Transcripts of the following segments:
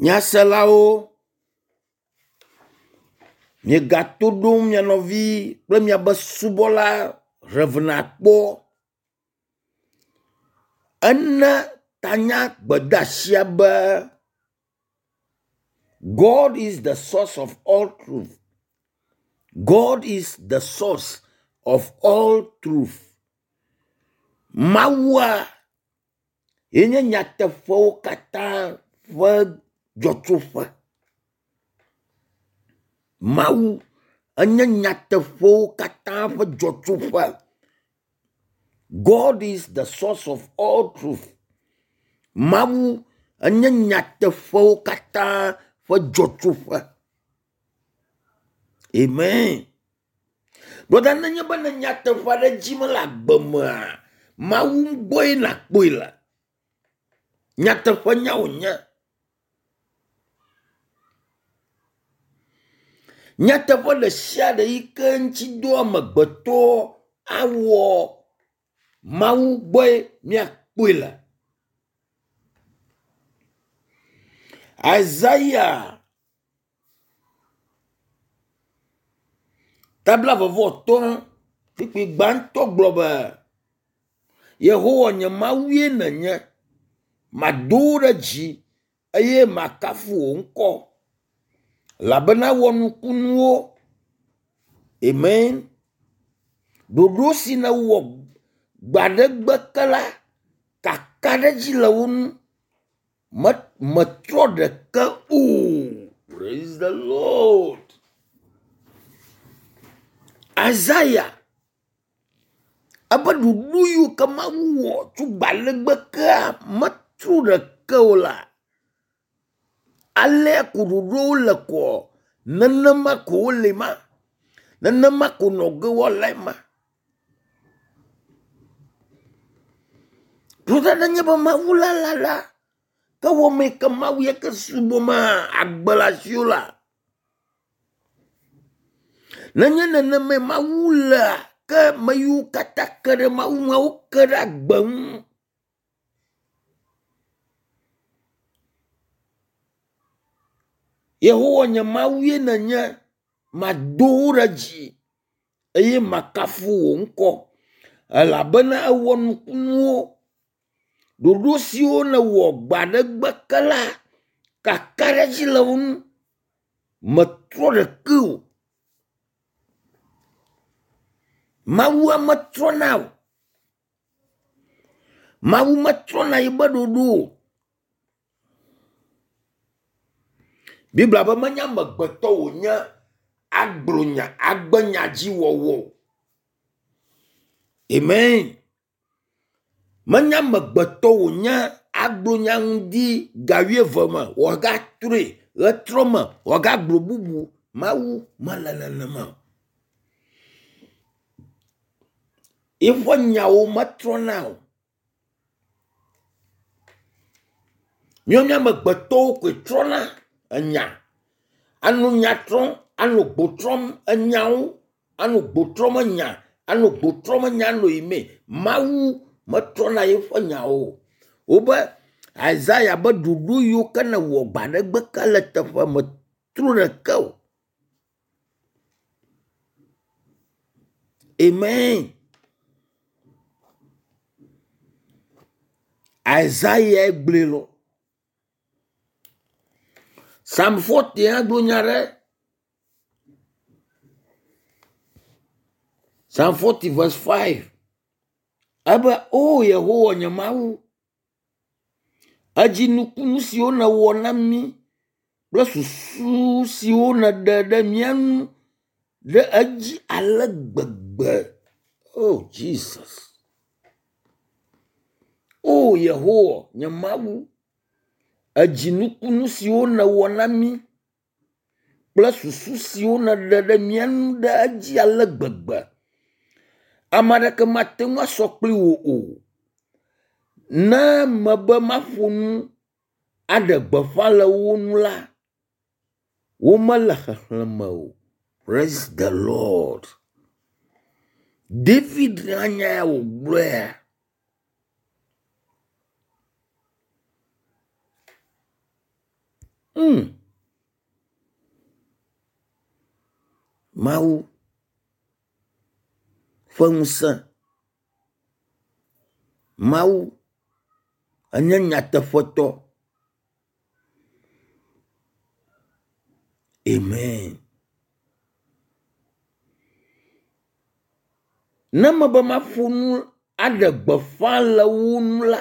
Nyaselawo, miegato ɖom mia nɔvi kple miabe subɔla Rev. Akpɔ. Ena tanya gbedeasia be God is the source of all truth. God is the source of all truth. Mawua ye nye nyateƒewo katã ƒe dzɔtsoƒe. Mawu enye nyateƒewo katã ƒe dzɔtsoƒe. God is the source of all truth. Mawu enye nyateƒewo katã ƒe dzɔtsoƒe. Amen. Brɔda nenye be ne nyateƒe aɖe dim le agbe mea, Mawu gbɔe nàkpɔe le. Nyateƒe nya wònye. Nyateƒe ɖe sia ɖe yi ke ŋuti dɔ amegbetɔ awɔ Mawu gbɔe míakpɔe le. Isaiah ta blaeve-vɔ-atɔ̃ kpukpui gbãtɔ gblɔ be, Yehowa nye Mawue nènye, mado wò ɖe dzi eye makafu wò ŋkɔ elabena ewɔ nukunuwo. Amen. Ɖoɖo si nèwɔ gbe aɖe gbe ke la, kakaɖedzi le wo ŋu. Me metrɔ ɖeke o. Praise the Lord. Isaiah ebe ɖoɖo yiwo ke Mawu wɔ tso gbe aɖe gbe kea metrɔ ɖeke o la, alea ko ɖoɖowo le koa, nenema ko wole ma. Nenema ko nɔ ge woalae ma. Brɔda nenye be Mawu la la la, ke wɔmee ke Mawu ye ke subɔma agbe le asiwò la. Nenye nenemae Mawu lea, ke ame yiwo katã ke ɖe Mawu ŋua, woke ɖe agbe ŋu. Yehowa nye Mawue nènye, mado wò ɖe dzi eye makafu wò ŋkɔ elabena èwɔ nukunuwo. Ɖoɖo siwo nèwɔ gbe aɖe gbe ke la, kakaɖedzi le wo ŋu. Mètrɔ ɖeke o. Mawua metrɔna o. Mawu metrɔna yibe ɖoɖo o. Biblia be menye amegbetɔ wònye agblɔ nya agbe nya dzi wɔwɔ o. Amen. Menye amegbetɔ wònye agblɔ nya ŋdi ga wuieve me wòagatrɔe ɣetrɔ me wòagagblɔ bubu. Mawu mele nenema o. Eƒe nyawo metrɔna o. Míawo mía amegbetɔwo koe trɔna enya. Anɔ nya trɔm, anɔ gbo trɔm enyawo, anɔ gbo trɔm enya, anɔ gbo trɔm enya anɔ yimee. Mawu metrɔna eƒe nyawo o. Wobe Isaiah be ɖoɖo yiwo ke newɔ gbe aɖe gbe ke le teƒe metro ɖeke o. Amen. Isaiah gblɔe lɔ. Psalm 40 hã gblɔ nya ɖe. Psalm 40 verse 5. Ebe, O Yehowa nye Mawu, edzi nukunu siwo nèwɔ na mí kple susu siwo nèɖe ɖe mía ŋu ɖe edzi ale gbegbe. Oh Jesus. O Yehowa nye Mawu, edzi nukunu siwo nèwɔ na mí kple susu siwo nèɖe ɖe mía ŋu ɖe edzi ale gbegbe. Ame aɖeke mate ŋu asɔ kpli wò o. Ne mebe maƒo nu aɖe gbeƒã le wo ŋu la, womele xexlẽme o. Praise the Lord. David hã nya ya wògblɔea. Mawu ƒe ŋusẽ. Mawu enye nyateƒetɔ. Amen. Ne mebe maƒo nu aɖe gbeƒã le wo ŋu la,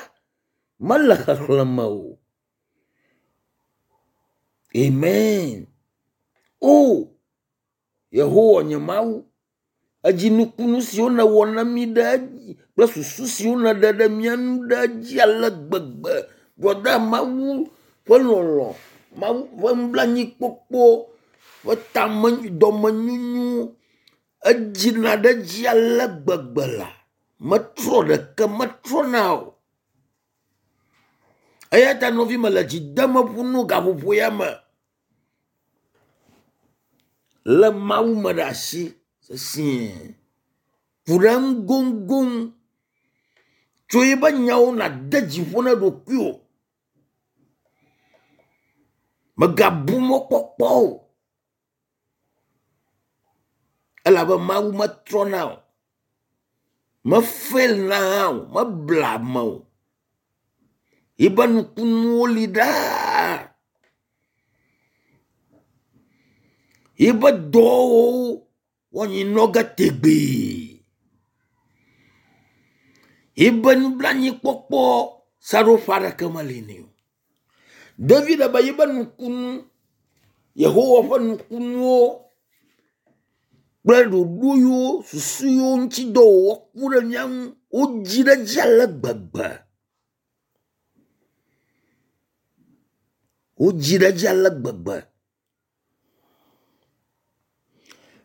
mele xexlẽme o. Amen. O Yehowa nye Mawu, edzi nukunu siwo nèwɔ na mí ɖe edzi kple susu siwo nèɖe ɖe mía ŋu ɖe edzi ale gbegbe. Brɔda Mawu ƒe lɔlɔ̃, Mawu ƒe nublanuikpɔkpɔ ƒe tame dɔmenyonyo edzina ɖe edzi ale gbegbe la, metrɔ ɖeke metrɔna o. Eya ta nɔvi mele dzi dem ƒo nu gaƒoƒo ya me. Lé Mawu me ɖe asi sesĩe. Ku ɖe eŋu goŋgoŋ. Tso eƒe nyawo nàde dzi ƒo na ɖokuiwò. Mègabu mɔkpɔkpɔ o. Elabe Mawu metrɔna o. Mefelina hã o. Meblea ame o. Yiƒe nukunuwo li ɖaa. Yiƒe dɔwɔwɔwo woanyi nɔ ge tegbee. Yiƒe nublanuikpɔkpɔ seɖoƒe aɖeke meli nɛ o. David be yiƒe nukunu, Yehowa ƒe nukunuwo kple ɖoɖo yiwo susu yiwo ŋuti dɔ wòwɔ ku ɖe mía ŋu wodzi ɖe edzi ale gbegbe. Wodzi ɖe edzi ale gbegbe.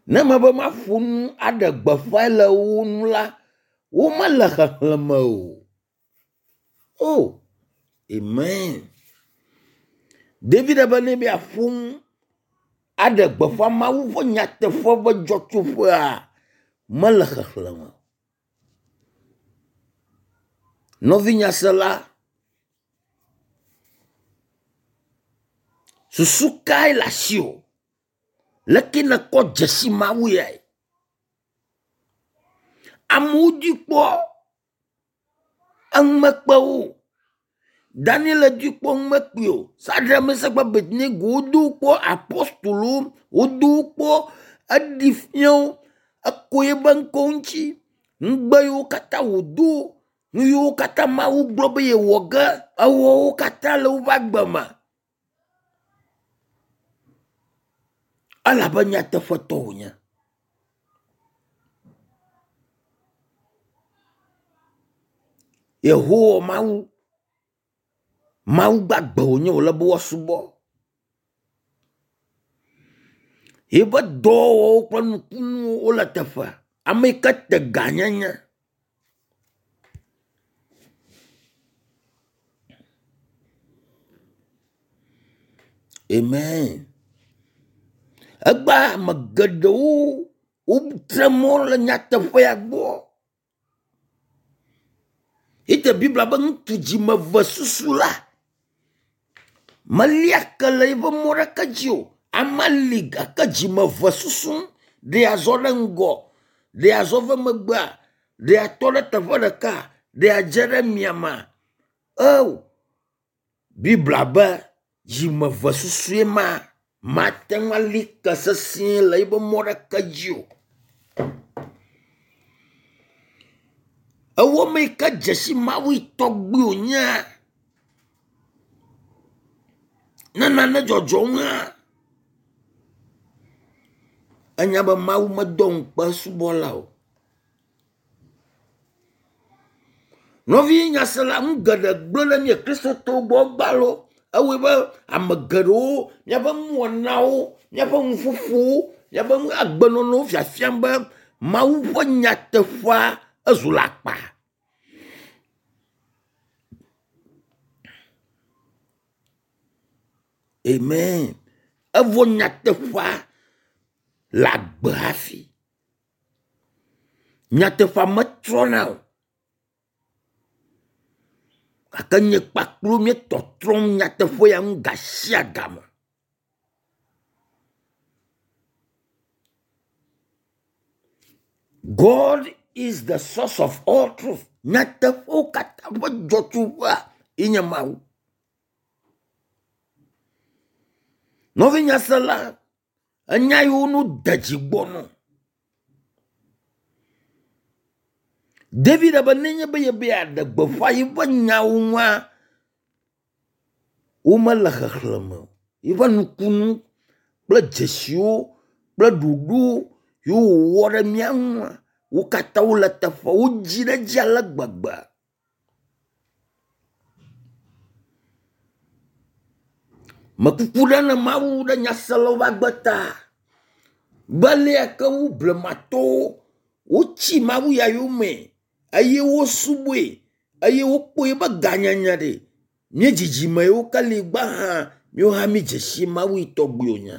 Ne mebe maƒo nu aɖe gbeƒãe le wo ŋu la, womele xexlẽme o. Oh, amen. David be ne be yeaƒo nu aɖe gbeƒã Mawu ƒe nyateƒe ƒe dzɔtsoƒea, mele xexlẽme o. Nɔvi nyasela, susu kae le asiwò? Leke nèkpɔ dzesi Mawu yae? Amewo dui kpɔ, enu mekpe wo o. Daniel dui kpɔ enu mekpee o. Sadrak, Mesak kple Abednego wodo wo kpɔ, apostolowo wodo wo kpɔ, eɖi fia wo, eko eƒe ŋkɔ ŋuti, ŋugbe yiwo katã wòdo, nu yiwo katã Mawu gblɔ be yewɔ ge, ewɔ wo katã le woƒe agbe me. Elabe nyateƒetɔ wònye. Yehowa Mawu, Mawu gbagbe wònye wòle be woasubɔ. Yiƒe dɔwɔwɔwo kple nukunuwo wole teƒea. Ame yi ke te gãnyenye. Amen. Egbea ame geɖewo wotre mɔ le nyateƒea gbɔ. Ete Biblia be ŋutsu dzimeve susu la melia ke le eƒe mɔ ɖeke dzi o. Ame li gake dzimeve susu ɖe azɔ ɖe ŋgɔ, ɖe azɔ ve megbea, ɖe atɔ ɖe teƒe ɖeka, ɖe adze ɖe miamea. Eo Biblia be dzimeve susue ma mate ŋu ali ke sesĩe le eƒe mɔ ɖeke dzi o. Ewɔ ame yi ke dze si Mawu yi tɔgbi wònye ne nane dzɔdzɔm hã, enya be Mawu medɔ ŋukpe esubɔla o. Nɔvi nyasela nu geɖe gblẽ ɖe mía Kristotɔwo gbɔ egbea loo. Ewɔe be ame geɖewo míaƒe nuwɔnawo, míaƒe nuƒoƒowo, míaƒe agbenɔnɔwo fiafiam be Mawu ƒe nyateƒea ezu alakpa. Amen. Evɔ nyateƒea le agbe hafi. Nyateƒea metrɔna o. Gake nye kpakplo míetɔtrɔm nyateƒe ya ŋu gasiagame. God is the source of all truth. Nyateƒewo katã ƒe dzɔtsoƒea ye nye Mawu. Nɔvi nyasela, enya yiwo nu de dzi gbɔ nɔ. David be nenye be yebe yeaɖe gbeƒã yeƒe nyawo ŋua, womele xexlẽme o. Yeƒe nukunu kple dzesiwo kple ɖoɖo yiwo wòwɔ ɖe mía ŋua, wo katã wole teƒe, wodzi ɖe edzi ale gbegbe. Mekuku ɖe ne Mawu ɖe nyaselawo ƒe agbe ta be alea ke wu blematɔwo wotsi Mawu ya yome eye wosubɔe eye wokpɔ eƒe gãnyenye ɖe. Mía dzidzime yiwo ke li gbã hã, míawo hã mídze si Mawu yi tɔgbi wònye.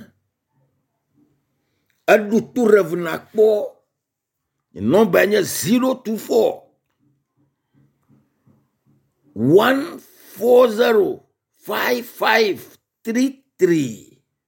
Eɖo to Rev nakpɔ. Nɔmbae nye 024 140 5533.